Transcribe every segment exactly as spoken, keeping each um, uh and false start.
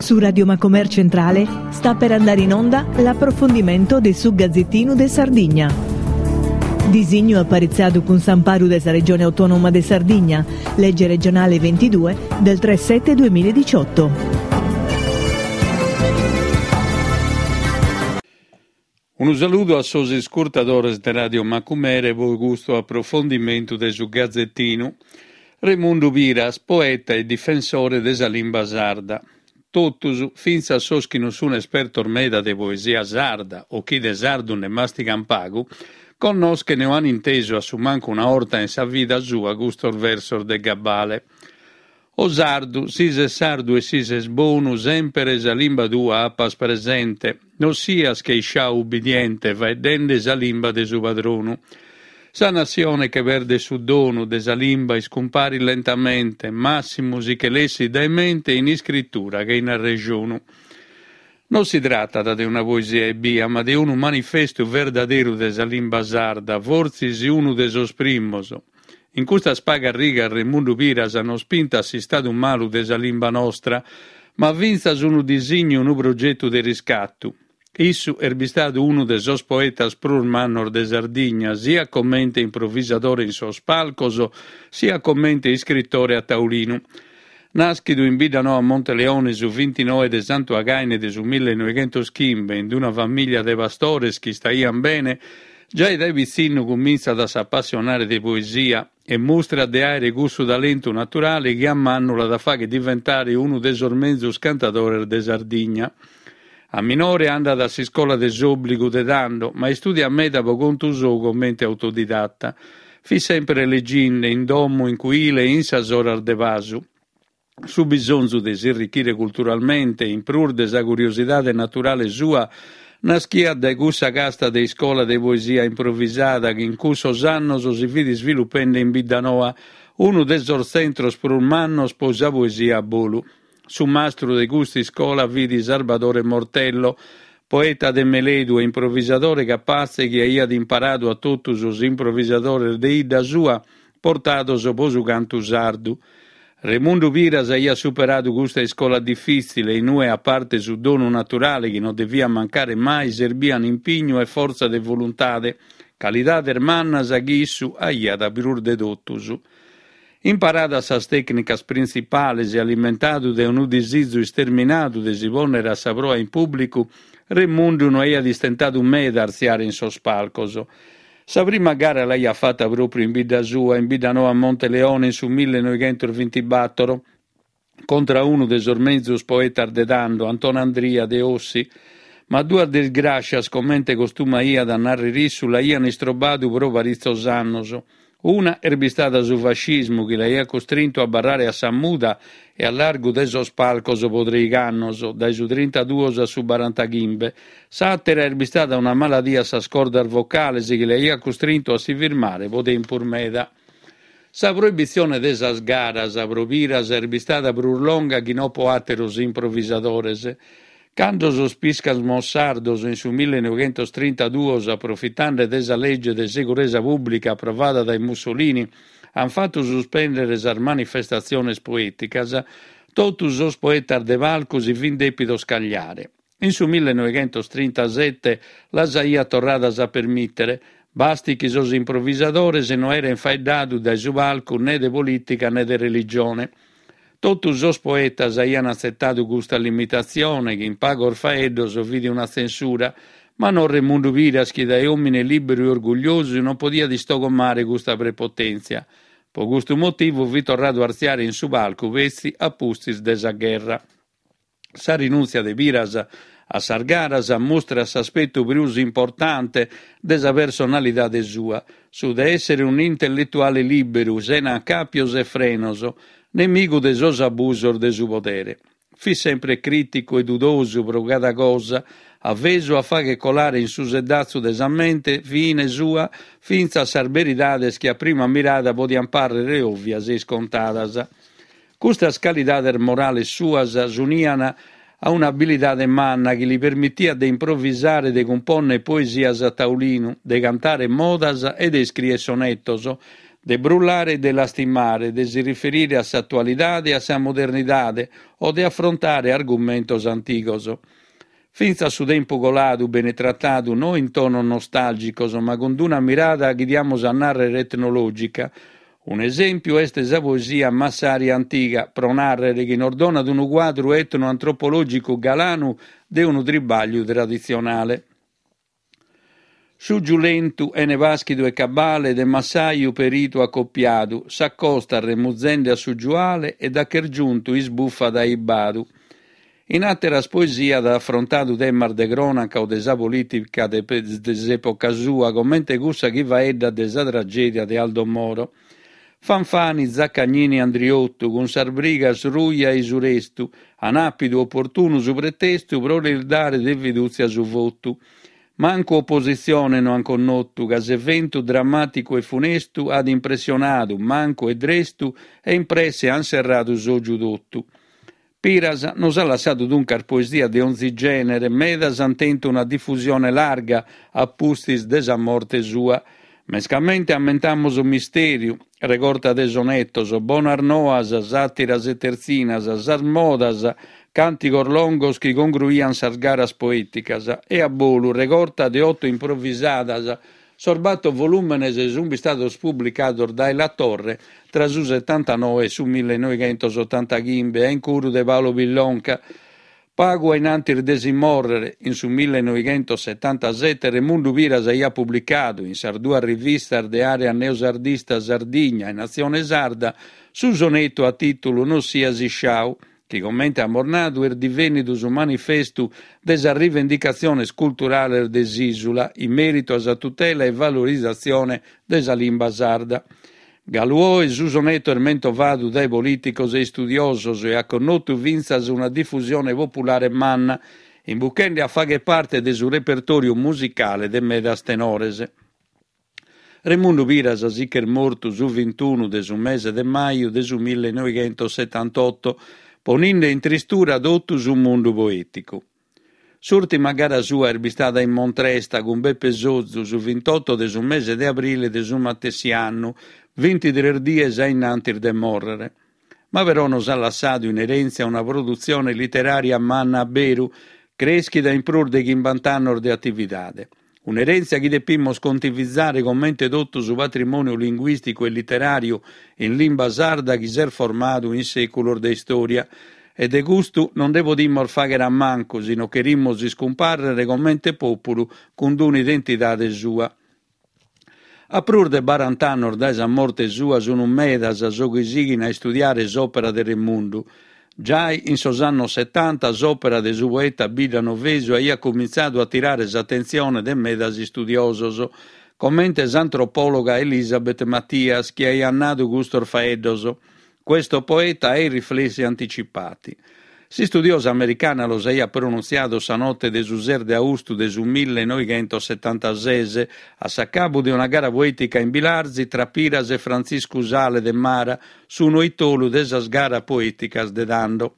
Su Radio Macomer Centrale sta per andare in onda l'approfondimento de su Gazzettinu de Sardigna. Disignu aparitzadu cun s'amparu de sa Regione Autonoma de Sardigna, legge regionale ventidue del tre sette duemiladiciotto. Unu saludu a sos iscurtadores de Radio Macumere pro custu aprofondimentu de su Gazettinu. Remundu Piras, poeta e difensore de sa limba sarda. Totus, fintzas sos chi non sun espertos meda de poesia sarda o chi de sardu nde mastigan pagu, connoschen o an intesu a su mancu una 'orta in sa vida sua custos versos de gabbale. O sardu, si ses sardu e si ses bonu, sempere sa limba tua apas presente, non sias che isciau ubbidiente faeddende sa limba de su padronu. Sa nassione che perdet su donu de sa limba iscumparit lentamente, massimu si che l'essit dae mente in iscritura che in arrejonu. Non si tratat de una poesia ebbia, ma de unu manifestu verdaderu de sa limba sarda, fortzis unu de sos primos. In custas pagas rigas Remundu Piras nos pintat s'istadu malu de sa limba nostra, ma fintzas unu disignu, unu progetu de riscatu. Issu est bistadu unu de sos poetas prus mannos de Sardigna, siat comente improvisadore in sos palcos, siat comente iscritore a taulinu. Nàschidu in Biddanoa Monteleone su vintinoe de Santu Againe de su millenoighentos chimbe, in una famìlia de pastores chi istaian bene, giai dae pitzinnu cumintzat a s'apassionare de poesia e mustrat de àere cussu talentu naturale chi a mannu l'at a fagher diventare unu de sos menzus cantadores de Sardigna. A minore andat a s'iscola de s'òbligu de tando, ma istùdiat meda pro contu sou comente autodidatta. Fit sempre leginde, in domo, in cuile e in sas oras de pasu. Su bisonzu de s'irrichire culturalmente, in prus de sa curiosidade naturale sua, naschiat dae cussa casta de iscola de poesia improvisada chi in cussos annos si fit isvilupende in Biddanoa, unu de sos tzentros prus mannos pro sa poesia a bolu. Su mastru de custa iscola fit Sarbadore Mortello, poeta de meledu e improvisadore capatze chi aiat imparadu a totu sos improvisadores de 'idda sua portados pro su cantu sardu. Remundu Piras aiat superadu custa iscola difìtzile, in ue a parte su donu naturale chi non deviat mancare mai serbian impignu e fortza de voluntade, calidades mannas chi issu aiat prus de totus. Imparadas sas tècnicas printzipales e alimentadu dae unu disizu isterminadu de si pònnere a sa proa in pùblicu, Remundu no aiat istentadu meda a artziare in sos palcos. Sa prima gara l'aiat fata pròpriu in bidda sua, in Biddanoa Monteleone, in su millenoighentos bintibatoro, contra unu de sos menzus poetas de tando, Antonandria de Ossi. Ma duas disgràscias, comente costumaiat a narrer issu, l'aian istrobbadu pro paritzos annos. Una est bistada su fascismu chi l'aiat costrintu a abarrare a sa muda e a largu de sos palcos pro treigh'annos, dae su trintaduos a su barantachimbe. S'àtera est bistada una maladia a sas cordas vocales chi l'aiat costrintu a si firmare pro tempus meda. Sa proibitzione de sas garas pro Piras est bistada prus longa chi no pro àteros improvisadores. Cando sos pìscamos sardos in su millenoighentos trintaduos, aprofitande de sa lege de seguresa pùblica aprovada dae Mussolini, an fatu suspèndere sas manifestatziones poèticas, totu sos poetas de palcu si fin dèpidos cagliare. In su millenoighentos trintasete las aiat torradas a permìtere, basti chi sos improvisadores no aeren faeddadu dae su palcu ne de polìtica ne de religione. Totu sos poetas aian atzetadu custa limitatzione, chi in pagos faeddos fit una tzensura, ma no Remundu Piras, chi dae òmine lìberu e orgugliosu non podiat istogomare custa prepotèntzia. Pro custu motivu fit torradu a artziare in su palcu petzi a pustis de sa gherra. Sa rinùntzia de Piras a sas garas mustrat s'aspetu prus importante de sa personalidade sua, su de èssere un'intelletuale lìberu, sena acàpios e frenos, nemigu de sos abusos de su podere. Fit sempre crìticu e dudosu pro cada cosa, avesu a fagher colare in su sedatzu de sa mente fine sua fintzas sas beridades chi a prima mirada podian pàrrere òvias e iscontadas. Custas calidades morales suas s'unian a un'abilidade manna chi li permitiat de improvisare, de cumpònnere poesias a taulinu, de cantare modas e de iscrìere sonetos, De brullare e de lastimare, de si riferire a s'atualidade e a sa modernidade o de afrontare argumentos antigos. Fintzas su tempu coladu benit tratadu no in tonos nostàlgicos ma cun una mirada chi diamus a nàrrere etnològica. Un'esèmpiu est sa poesia Massaria Antiga, pro nàrrere chi nos donat unu cuadru etnoantropològicu galanu de unu tribàgliu traditzionale. Su giulentu 'ene pàschidu e cabale de massaju peritu acopiadu, s'acostat remuzende a su giuale e da ch'est giuntu isbufat aibadu. In àteras poesias at afrontadu temas de crònaca o de sa polìtica de s'època sua, comente cussa chi faeddat de sa tragèdia de Aldo Moro. Fanfani, Zaccagnini e Andriottu, cun sas brigas ruja e su restu, an àpidu oportunu su pretestu pro lis dare de fidùtzia su votu. Mancu opositzione no an connotu, ca s'eventu drammàticu e funestu at impressionadu mancu e drestu e in presse an serradu s'ògiu totu. Piras nos at lassadu duncas poesia de onzi gènere, medas ant tentu una difusione larga a pustis de sa morte sua. Mescamente ammentamus Mistèriu, regorta de sonetos, Bonas noas, sàtiras e tertzinas, Sas modas, càntigos longos chi congruiant sas garas poèticas, e A bolu, regorta de oto improvisadas. Sos bator volùmenes sunt istados publicados dae La Torre tra su setantanoe e su millenoighentos otantachimbe a incuru de Paolo Pillonca. Pagu a in antis de si mòrrere, in su millenoighentos setantasete, Remundu Piras aiat publicadu, in sas duas rivistas de àrea neosardista Sardigna e Natzione Sarda, su sonetu a tìtulu No sias isciau, chi, comente amus nadu, est divènnidu su manifestu de sas rivendicatziones culturales de s'ìsula in mèritu a sa tutela e valorizatzione de sa limba sarda. Galu oe su soneto est mentovadu dae polìticos e istudiosos e at connotu fintzas una difusione populare manna, imbuchende a fàghere parte de su repertòriu musicale de medas tenores. Remundu Piras si ch'est mortu su vintunu de su mese de maju de su millenoighentos setantotto, poninde in tristura totu su mundu poèticu. S'ùrtima gara sua est bistada in Montresta cun Beppe Sozu su vintotto de su mese de abrile de su matessi annu, bintitrès dies a in antis de mòrrere. Ma però nos at lassadu in erèntzia una produtzione literària manna a beru, crèschida in prus de chimbanta annos de atividade. Un'erèntzia chi depimus contivizare comente totu su patrimòniu linguìsticu e literàriu in limba sarda chi s'est formadu in sèculos de istòria. E de custu non nde podimus fàghere a mancu si non cherimus iscumpàrrere comente pòpulu cun un'identidade sua. A prus de baranta annos dae sa morte sua sunt medas sos chi sighin a istudiare s'òpera de Remundu. Giai in sos annos setanta s'òpera de su poeta biddanovesu aiat cumintzadu a tirare s'atentzione de medas istudiosos, comente s'antropòloga Elisabeth Mathias chi aiat nadu custos faeddos, Questo poeta ha i riflessi anticipati. S'istudiosa americana los aiat pronuntziados sa note de su ses de austu de su millenoighentos setantases, a s'acabu de una gara poètica in Bilartzi tra Piras e Frantziscu Sale de Mara, su noitolu de sas garas poèticas de tando.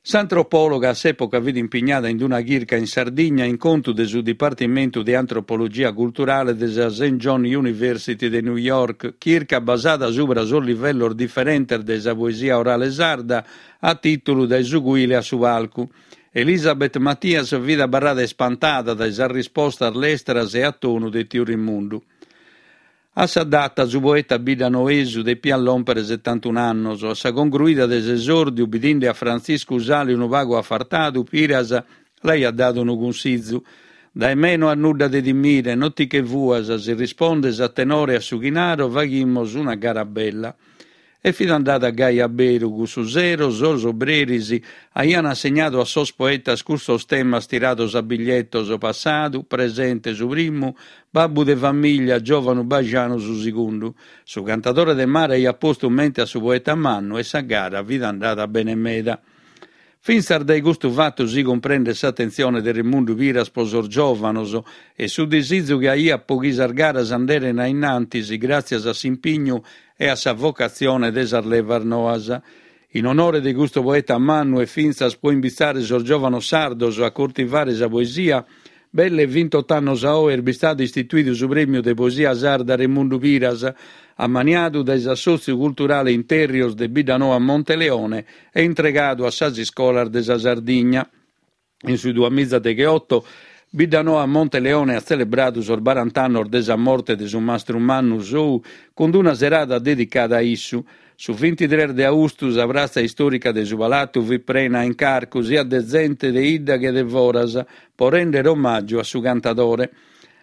S'antropòloga a s'època fit impignada in una chirca in Sardigna in contu de su Dipartimentu de Antropologia Culturale de sa Saint John University de New York, chirca basada subra sos livellos diferentes de sa poesia orale sarda a tìtulu Dae su cuile a su palcu. Elisabeth Mathias fit abarrada ispantada dae sas rispostas lestras e a tonu de tiu Remundu. A sa data su poeta biddanoesu depiat lòmpere setantun'annos. A sa congruida de s'esòrdiu, bidinde a Frantziscu Sale unu pagu afartadu, Piras l'aiat dadu unu cunsizu, Dae me no as nudda de timire, non ti che fuas, si rispondes a tenore a su chi naro, faghimus una gara bella. E fit andada gai a beru, cussu sero sos obreris aian assegnadu a sos poetas custos temas tirados a biglietos, passadu, presente su primu, babbu de famìllia, giòvanu bajanu su segundu. Su cantadore de Mara aiat postu mente a su poeta mannu e sa gara fit andada bene meda. Fintzas dae custu fatu si cumprendet s'atentzione de Remundu Piras pro sos giòvanos e su disizu chi aiat pro chi sas garas anderen a in antis gràtzias a s'impignu e a sa vocatzione de sas levas noas. In onore de custu poeta mannu e fintzas pro imbitzare sos giòvanos sardos a coltivare sa poesia, Belle vintotto annos a oe est bistadu istituidu su prèmiu de poesia sarda Remundu Piras, ammaniadu dae s'Assòtziu Culturale Interrios de Biddanoa Monteleone e intregadu a sas iscolas de sa Sardigna. In su duamiza degheoto, Biddanoa Monteleone at tzelebradu sos barant'annos de sa morte de su mastru mannu sou cun una serada dedicada a issu. Su vintitres de austu sa pratza istòrica de su Palatu fit prena a incarcu siat de zente de 'idda che de foras pro rèndere omàgiu a su cantadore.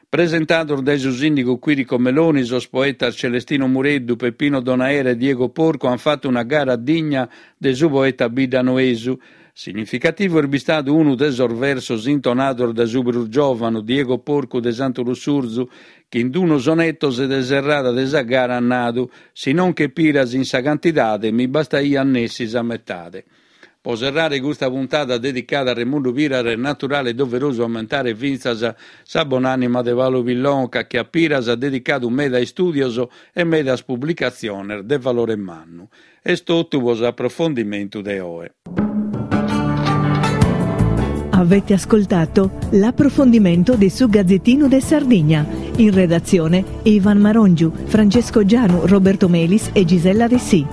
Presentados dae su sìndigu Quirico Meloni, sos poetas Celestino Mureddu, Peppino Donaera e Diego Porcu ant fatu una gara digna de su poeta biddanoesu. Significativu est bistadu unu de sos versos intonados dae su prus giòvanu, Diego Porcu de Santu Lussurzu, chi in unu sonetto de serrada de sa gara at nadu «Si non che Piras in sa cantidade mi bastaiat nessi sa metade». Pro serrare custa puntada dedicada a Remundu Piras est naturale e doverosu ammentare fintzas sa bonànima de Paolo Pillonca, chi a Piras at dedicadu meda istùdios e medas publicatziones de valore mannu. Est totu pro s'aprofondimentu de oe. Avete ascoltato l'approfondimento di su Gazzettino de Sardigna. In redazione Ivan Marongiu, Francesco Gianu, Roberto Melis e Gisella Dessì.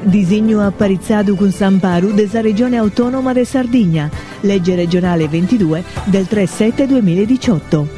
Disignu aparitzadu cun s'amparu de sa Regione Autonoma de Sardigna, legge regionale ventidue del tre sette duemiladiciotto.